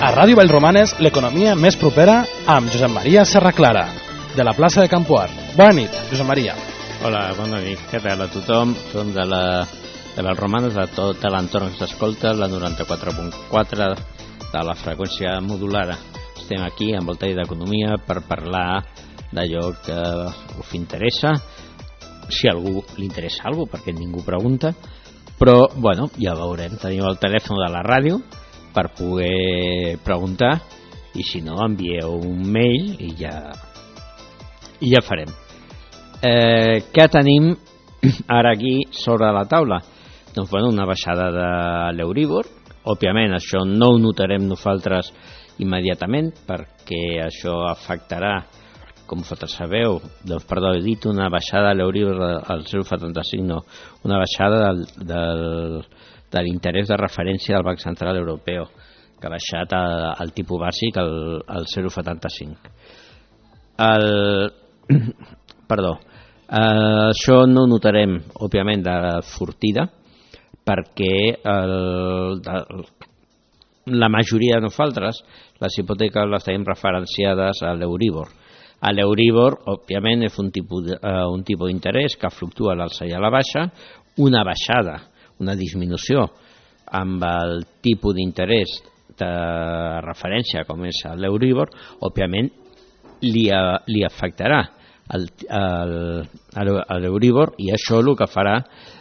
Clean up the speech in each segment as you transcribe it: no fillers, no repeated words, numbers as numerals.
A Ràdio Vallromanes, l'economia més propera amb Josep Maria Serraclara, de la plaça de Campoar. Bona nit, Josep Maria. Hola, bona nit. Què tal a tothom? Som de Vallromanes, de tot l'entorn que s'escolta, la 94.4 de la freqüència modulada. Estem aquí, envoltats d'economia, per parlar d'allò que us interessa, si a algú li interessa alguna cosa, perquè ningú pregunta, però, bueno, ja veurem. Tenim el telèfon de la ràdio per poder preguntar, i si no, envieu un mail i ja farem. Què tenim ara aquí sobre la taula? Doncs, bueno, una baixada de l'Euríbor. Òbviament, això no ho notarem nosaltres immediatament, perquè això afectarà, com vosaltres sabeu, doncs, perdó, he dit una baixada de l'Euríbor al 0,75, no, una baixada de l'interès de referència del Banc Central Europeu, que ha baixat el tipus bàsic al 0,75. Això no ho notarem, òbviament, de sortida, perquè la majoria de nosaltres les hipoteques les tenim referenciades a l'Euríbor. A l'Euríbor, òbviament, és un tipus d'interès que fluctua a l'alça i a la baixa. Una baixada, una disminució amb el tipus d'interès de referència com és l'Euríbor, òbviament li afectarà a l'Euríbor, i això el que farà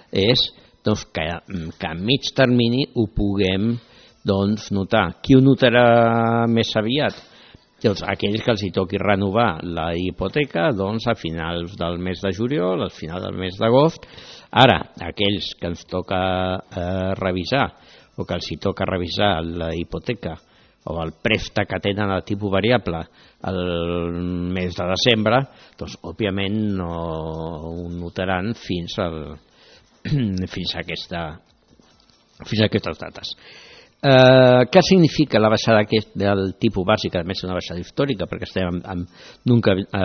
és doncs, que a mig termini ho puguem notar. Qui ho notarà més aviat? Doncs aquells que els hi toqui renovar la hipoteca a finals del mes de juliol, al final del mes d'agost. Ara, aquells que ens toca revisar, o que els hi toca revisar la hipoteca o el préstec que tenen a tipus variable el mes de desembre, doncs òbviament no ho notaran fins a aquestes dates. Què significa la baixada del tipus bàsic? A més, és una baixada històrica, perquè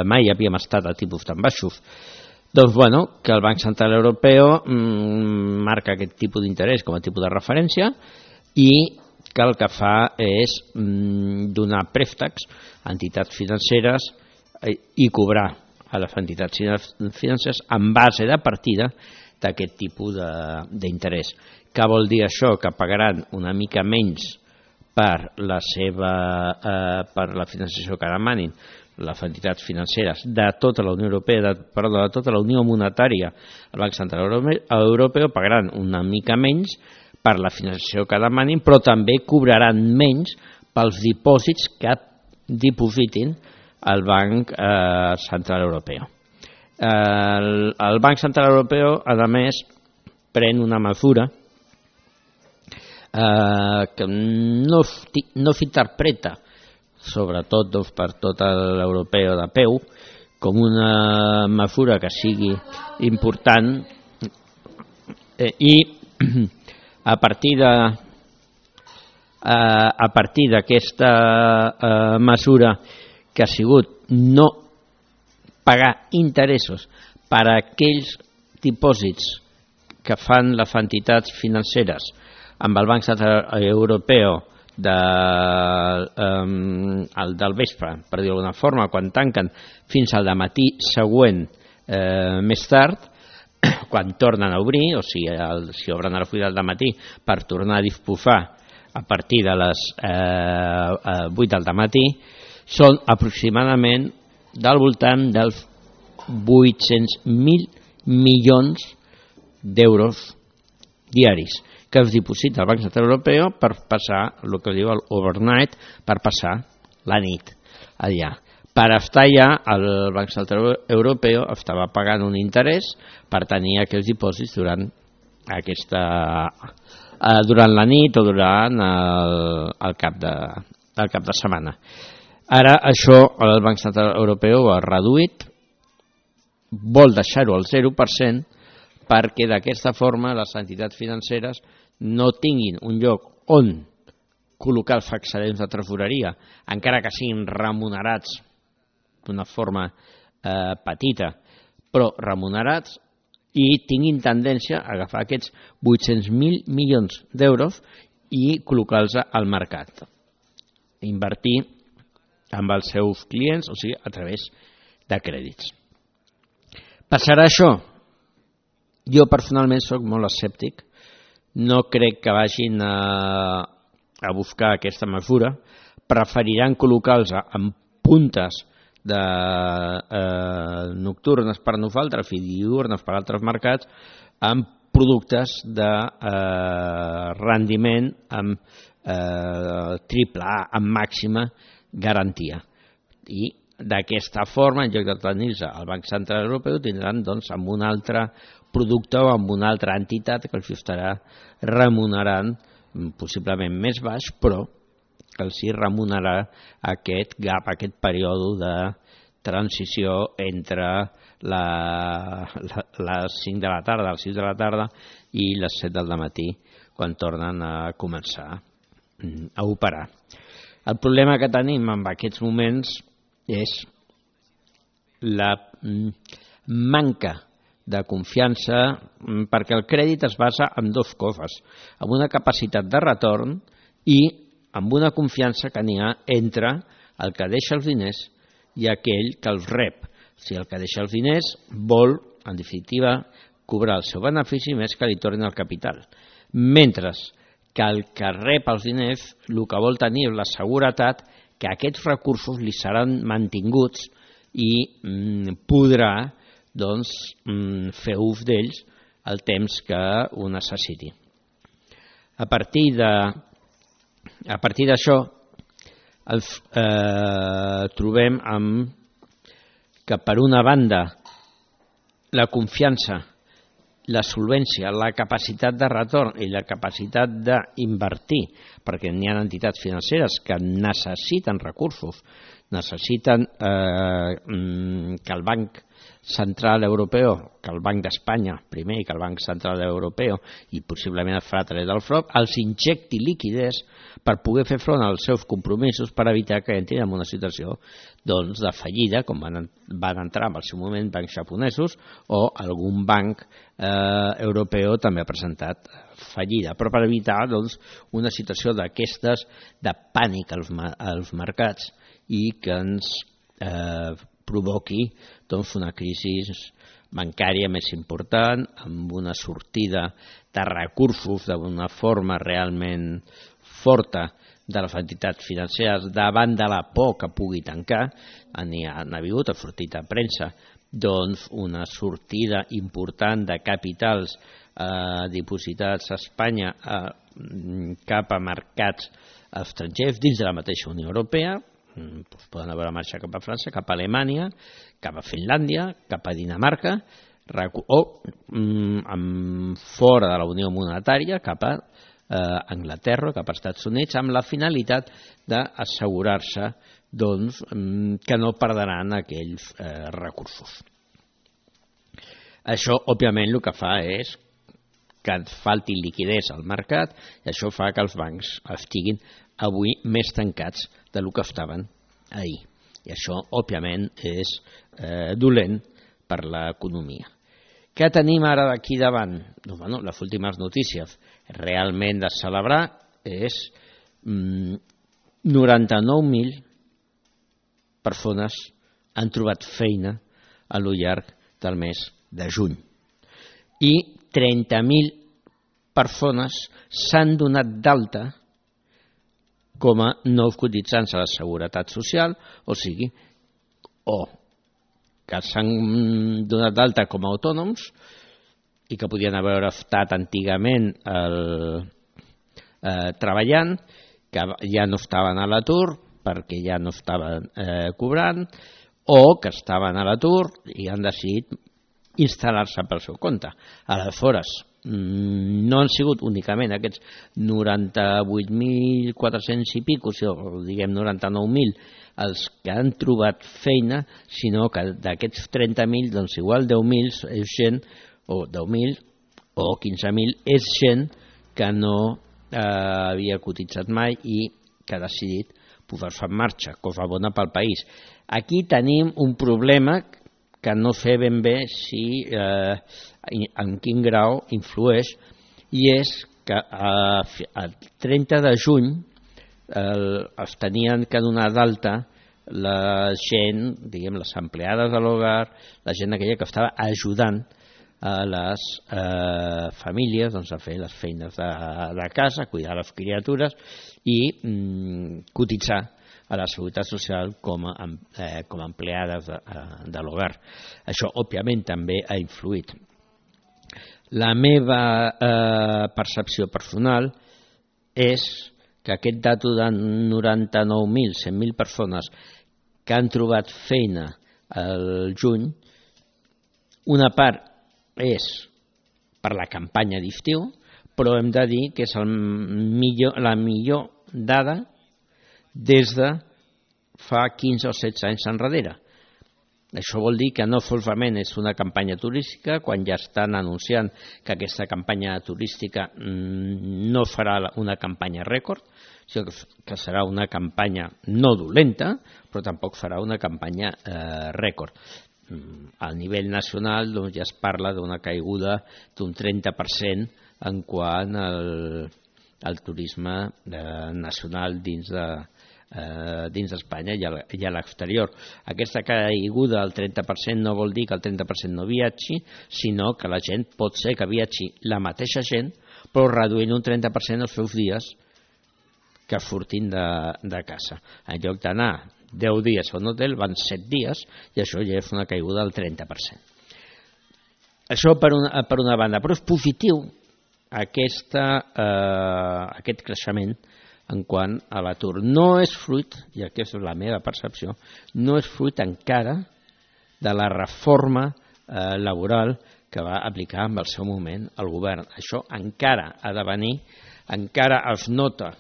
mai havíem estat a tipus tan baixos. Doncs, bueno, que el Banc Central Europeu marca aquest tipus d'interès com a tipus de referència, i que el que fa és donar préstecs a entitats financeres i cobrar a les entitats financeres en base de partida d'aquest tipus d'interès. Què vol dir això? Que pagaran una mica menys per la financiació que demanin les entitats financeres de tota la Unió Europea, de tota la Unió Monetària. El Banc Central Europeu pagaran una mica menys per la financiació que demanin, però també cobraran menys pels dipòsits que dipositin al Banc Central Europeu. El Banc Central Europeu, a més, pren una mesura que no s'interpreta, sobretot per tot l'europeu de peu, com una mesura que sigui important, i a partir d'aquesta mesura, que ha sigut no pagar interessos per a aquells dipòsits que fan les entitats financeres amb el Banc Central Europeu del vespre, per dir-ho d'alguna forma, quan tanquen, fins al dematí següent, més tard, quan tornen a obrir, o si obren a les 8 del matí, per tornar a disposar a partir de les 8 del matí, són aproximadament del voltant dels 800.000 milions d'euros diaris que es diposita al Banc Central Europeu per passar el que diu l'overnight, per passar la nit allà. Per estar allà, el Banc Central Europeu estava pagant un interès per tenir aquests dipòsits durant la nit o durant el cap de setmana. Ara això el Banc Central Europeu ha reduït, vol deixar-ho al 0%, perquè d'aquesta forma les entitats financeres no tinguin un lloc on col·locar els excedents de tresoreria, encara que siguin remunerats d'una forma petita, però remunerats, i tinguin tendència a agafar aquests 800.000 milions d'euros i col·locar-los al mercat. invertir amb els seus clients, o sigui, a través de crèdits. Passarà això? Jo personalment soc molt escèptic, no crec que vagin a buscar aquesta mesura, preferiran col·locar-los en puntes nocturnes per nosaltres i diurnes per altres mercats amb productes de rendiment amb triple A, amb màxima garantia. I d'aquesta forma, en lloc de tenir-se al Banc Central Europeu, tindran doncs, amb un altre producte o amb una altra entitat que els estarà remunerant possiblement més baix, però que els remunerarà aquest gap, aquest període de transició entre les 5 de la tarda, les 6 de la tarda i les 7 del matí, quan tornen a començar a operar. El problema que tenim en aquests moments és la manca de confiança, perquè el crèdit es basa en dues coses, en una capacitat de retorn i amb una confiança que n'hi ha entre el que deixa els diners i aquell que els rep. Si el que deixa els diners vol, en definitiva, cobrar el seu benefici més que li tornin el capital. Mentre que el que rep els diners el que vol tenir és la seguretat que aquests recursos li seran mantinguts i podrà doncs, fer ús d'ells el temps que ho necessiti. A partir d'això trobem que per una banda la confiança, la solvència, la capacitat de retorn i la capacitat d'invertir, perquè n'hi ha entitats financeres que necessiten recursos, necessiten que el Banc Central Europeu, que el Banc d'Espanya primer i que el Banc Central Europeu i possiblement el farà a través del FROB, els injecti liquiditat per poder fer front als seus compromisos per evitar que entrin en una situació doncs, de fallida, com van entrar en el seu moment bancs japonesos o algun banc europeu també ha presentat fallida, però per evitar doncs, una situació d'aquestes de pànic als mercats i que ens provoqui doncs, una crisi bancària més important, amb una sortida de recursos d'una forma realment forta de les entitats financeres davant de la por que pugui tancar. Ha hagut, ha sortit a premsa, doncs una sortida important de capitals dipositats a Espanya cap a mercats estrangers dins de la mateixa Unió Europea. Poden haver marxat cap a França, cap a Alemanya, cap a Finlàndia, cap a Dinamarca o fora de la Unió Monetària, cap a Anglaterra, cap als Estats Units, amb la finalitat d'assegurar-se doncs, que no perdran aquells recursos. Això, òbviament, el que fa és que falti liquiditat al mercat i això fa que els bancs estiguin avui més tancats del que estaven ahir. I això, òbviament, és dolent per l'economia. Què tenim ara d'aquí davant? Bueno, les últimes notícies realment de celebrar és 99.000 persones han trobat feina a lo llarg del mes de juny i 30.000 persones s'han donat d'alta com a nous cotitzants a la Seguretat Social, o sigui, o que s'han donat d'alta com a autònoms i que podien haver estat antigament treballant, que ja no estaven a l'atur perquè ja no estaven cobrant, o que estaven a l'atur i han decidit instal·lar-se pel seu compte. Aleshores, no han sigut únicament aquests 98.400 i pico, o diguem 99.000, els que han trobat feina, sinó que d'aquests 30.000, doncs igual 10.000 és gent, o 10.000 o 15.000 és gent que no havia cotitzat mai i que ha decidit posar-se en marxa, cosa bona pel país. Aquí tenim un problema que no sé ben bé si en quin grau influeix, i és que el 30 de juny es tenien que donar d'alta la gent, diguem, les empleades de l'hogar, la gent aquella que estava ajudant a les famílies doncs, a fer les feines de casa, cuidar les criatures i cotitzar a la Seguretat Social com a empleades de l'hogar. Això, òbviament, també ha influït. La meva percepció personal és que aquest dato de 99.000, 100.000 persones que han trobat feina al juny, una part és per la campanya d'estiu, però hem de dir que és la millor dada des de fa 15 o 16 anys enrere. Això vol dir que no solament és una campanya turística, quan ja estan anunciant que aquesta campanya turística no farà una campanya rècord, sinó que serà una campanya no dolenta, però tampoc farà una campanya rècord. A nivell nacional doncs, ja es parla d'una caiguda d'un 30% en quant al turisme nacional dins d'Espanya i a l'exterior. Aquesta caiguda del 30% no vol dir que el 30% no viatgi, sinó que la gent pot ser que viatgi la mateixa gent, però reduint un 30% els seus dies que surtin de casa. En lloc d'anar 10 dies a un hotel, van 7 dies i això ja és una caiguda del 30%. Això per una banda, però és positiu aquest creixement en quant a l'atur. No és fruit, i aquesta és la meva percepció, no és fruit encara de la reforma laboral que va aplicar en el seu moment el govern. Això encara ha de venir, encara es nota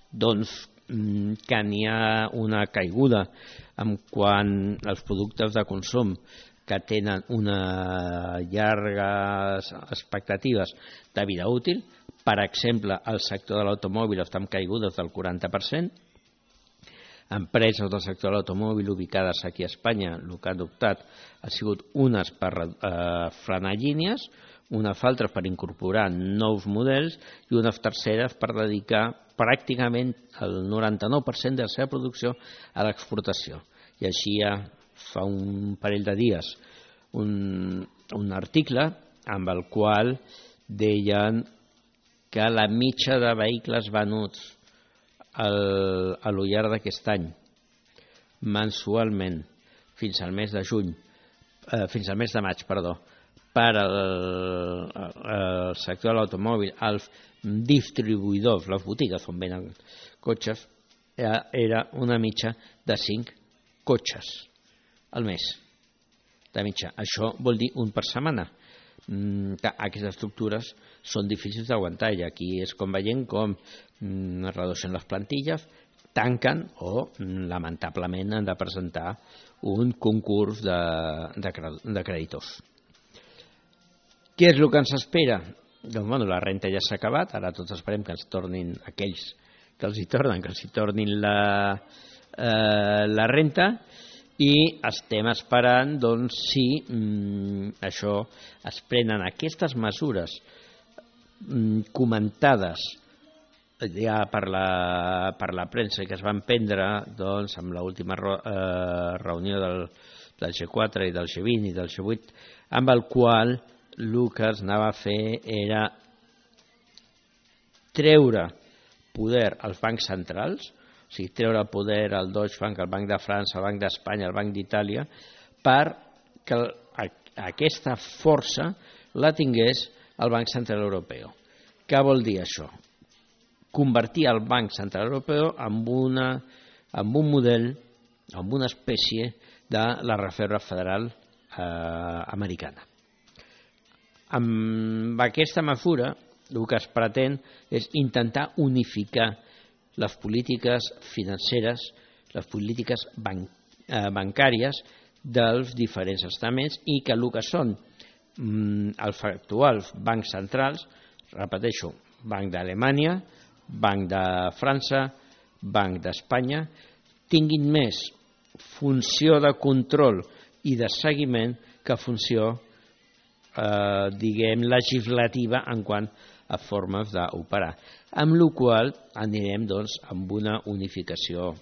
doncs, que n'hi ha una caiguda en quant als productes de consum que tenen unes llargues expectatives de vida útil. Per exemple, el sector de l'automòbil està en caigudes del 40%. Empreses del sector de l'automòbil ubicades aquí a Espanya, el que han optat ha sigut unes per frenar línies, unes altres per incorporar nous models i unes terceres per dedicar pràcticament el 99% de la seva producció a l'exportació. I així ja fa un parell de dies un article amb el qual deien que la mitja de vehicles venuts a lo llarg d'aquest any mensualment fins al mes de juny, fins al mes de maig, per al sector de l'automòbil, els distribuïdors, les botigues on venen cotxes, era una mitja de 5 cotxes al mes de mitja. Això vol dir un per setmana. Aquestes estructures són difícils d'aguantar i aquí és com veiem com redueixen les plantilles, tanquen o lamentablement han de presentar un concurs de creditors. Què és el que ens espera? Doncs la renta ja s'ha acabat, ara tots esperem que ens tornin aquells que els hi tornin la renta i estem esperant doncs, si això es prenen aquestes mesures comentades ja per la premsa que es van prendre doncs, amb l'última reunió del G4 i del G20 i del G8, amb el qual el que es anava a fer era treure poder als bancs centrals, o sigui, treure poder al Deutsche Bank, al Banc de França, al Banc d'Espanya, al Banc d'Itàlia, perquè aquesta força la tingués el Banc Central Europeu. Què vol dir això? Convertir el Banc Central Europeu en un model, en una espècie de la Reserva Federal americana. Amb aquesta mesura el que es pretén és intentar unificar les polítiques financeres, les polítiques bancàries dels diferents estaments i que el que són els actuals bancs centrals, repeteixo, Banc d'Alemanya, Banc de França, Banc d'Espanya, tinguin més funció de control i de seguiment que funció, legislativa en quant formes d'operar. Amb la qual anirem amb una unificació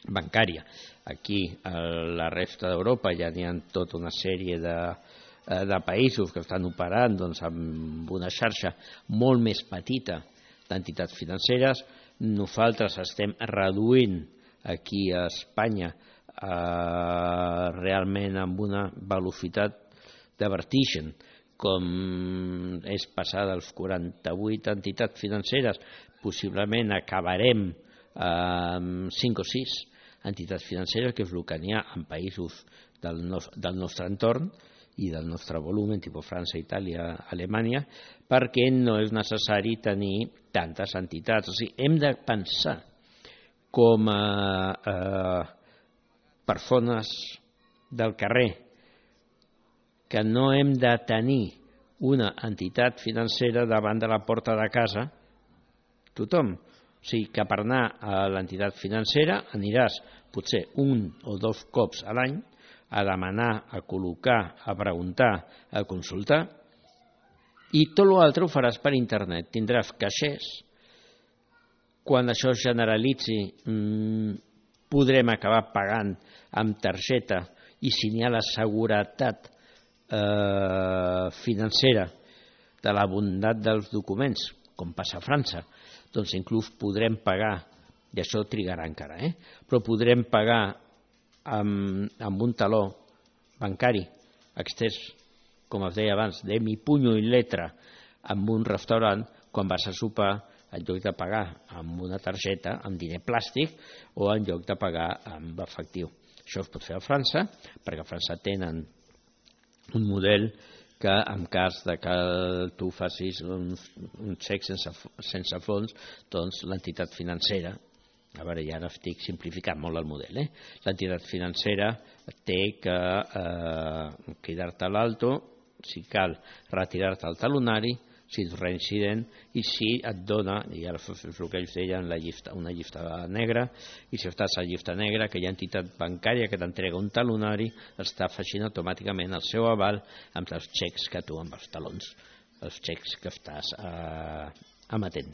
bancària. Aquí, a la resta d'Europa, ja n'hi ha tota una sèrie de països que estan operant amb una xarxa molt més petita d'entitats financeres. Nosaltres estem reduint aquí a Espanya realment amb una velocitat de vertigen, com és passar dels 48 entitats financeres, possiblement acabarem amb 5 o 6 entitats financeres, que és el que n'hi ha en països del nostre entorn i del nostre volum, tipus França, Itàlia, Alemanya, perquè no és necessari tenir tantes entitats. O sigui, hem de pensar com a persones del carrer que no hem de tenir una entitat financera davant de la porta de casa tothom. O sigui, que per anar a l'entitat financera aniràs potser 1 o 2 cops a l'any a demanar, a col·locar, a preguntar, a consultar, i tot l'altre ho faràs per internet. Tindràs caixers. Quan això es generalitzi, podrem acabar pagant amb targeta, i si n'hi ha la seguretat financera de la bondat dels documents, com passa a França, doncs inclús podrem pagar, i això trigarà encara, però podrem pagar amb un taló bancari extès, com es deia abans, de mi puño y letra, amb un restaurant, quan vas a sopar, en lloc de pagar amb una targeta, amb diner plàstic, o en lloc de pagar amb efectiu. Això es pot fer a França, perquè a França tenen un model que en cas de que tu facis un xec sense fons, doncs l'entitat financera, a veure, ja ara estic simplificant molt el model, l'entitat financera té que cridar-te a l'alto, si cal retirar-te el talonari, si ets reincident, i si et dona, i ara és el que ells deien, una llista negra, i si estàs a la llista negra, aquella entitat bancària que t'entrega un talonari està afegint automàticament el seu aval amb els xecs que tu, amb els talons, els xecs que estàs emetent.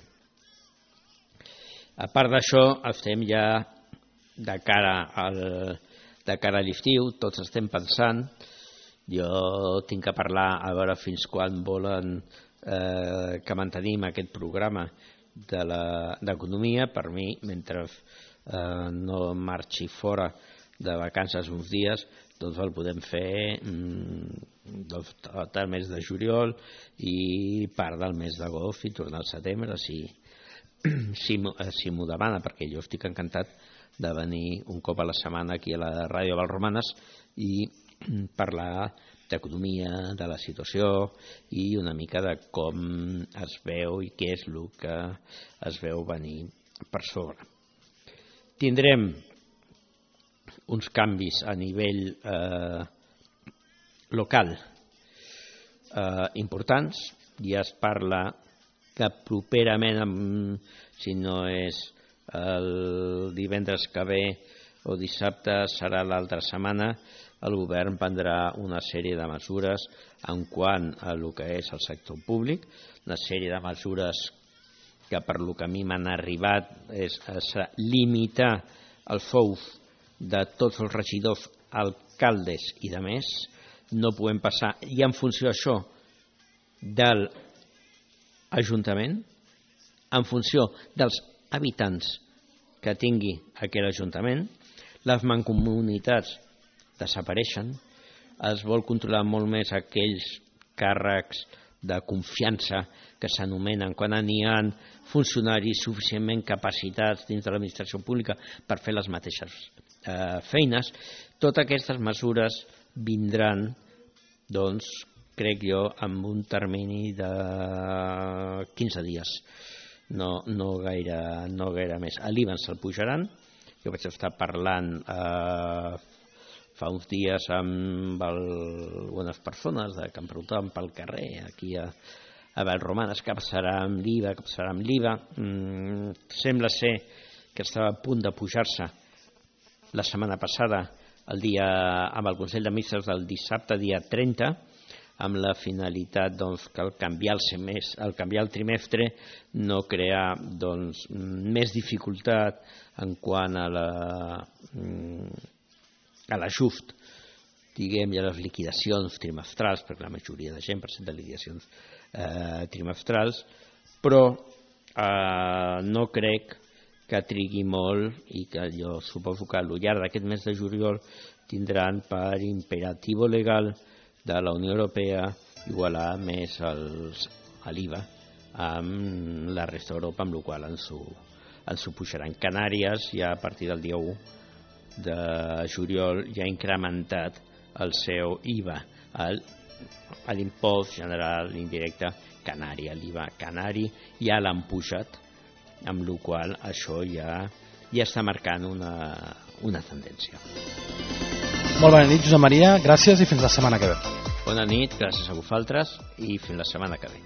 A part d'això, estem ja de cara a l'estiu, tots estem pensant, jo tinc que parlar a veure fins quan volen que mantenim aquest programa d'economia. Per mi, mentre no marxi fora de vacances uns dies, doncs el podem fer tot el mes de juliol i part del mes d'agost i tornar al setembre, si m'ho demana, perquè jo estic encantat de venir un cop a la setmana aquí a la ràdio Valromanes i parlar d'economia, de la situació i una mica de com es veu i què és el que es veu venir per sobre. Tindrem uns canvis a nivell local importants. Ja es parla que properament, si no és el divendres que ve o dissabte, serà l'altra setmana, el govern prendrà una sèrie de mesures en quant a el que és el sector públic, una sèrie de mesures que per lo que a mi m'han arribat és limitar els sous de tots els regidors, alcaldes i de més. No podem passar, i en funció d'això, de l'Ajuntament, en funció dels habitants que tingui aquell Ajuntament. Les mancomunitats desapareixen, es vol controlar molt més aquells càrrecs de confiança que s'anomenen quan n'hi ha funcionaris suficientment capacitats dins de l'administració pública per fer les mateixes feines. Totes aquestes mesures vindran, doncs, crec jo, amb un termini de 15 dies, no gaire més. A l'IVA se'l pujaran. Jo vaig estar parlant fa uns dies amb algunes persones que em preguntaven pel carrer aquí a Valromanes què passarà amb l'IVA, Sembla ser que estava a punt de pujar-se la setmana passada amb el Consell de Ministres del dissabte dia 30, amb la finalitat que al canviar el trimestre no crear més dificultat en quant a l'ajust, diguem, i a les liquidacions trimestrals, perquè la majoria de gent presenta liquidacions trimestrals, però no crec que trigui molt, i que jo suposo que al llarg d'aquest mes de juliol tindran per imperativo legal de la Unió Europea igualar més l'IVA amb la resta d'Europa, amb la qual ens ho pujaran. Canàries ja a partir del dia 1 de juliol ja ha incrementat el seu IVA, l'impost general indirecte canari, l'IVA canari ja l'han pujat, amb la qual això ja està marcant una tendència. Molt bona nit, Josep Maria, gràcies i fins la setmana que ve. Bona nit, gràcies a vosaltres i fins la setmana que ve.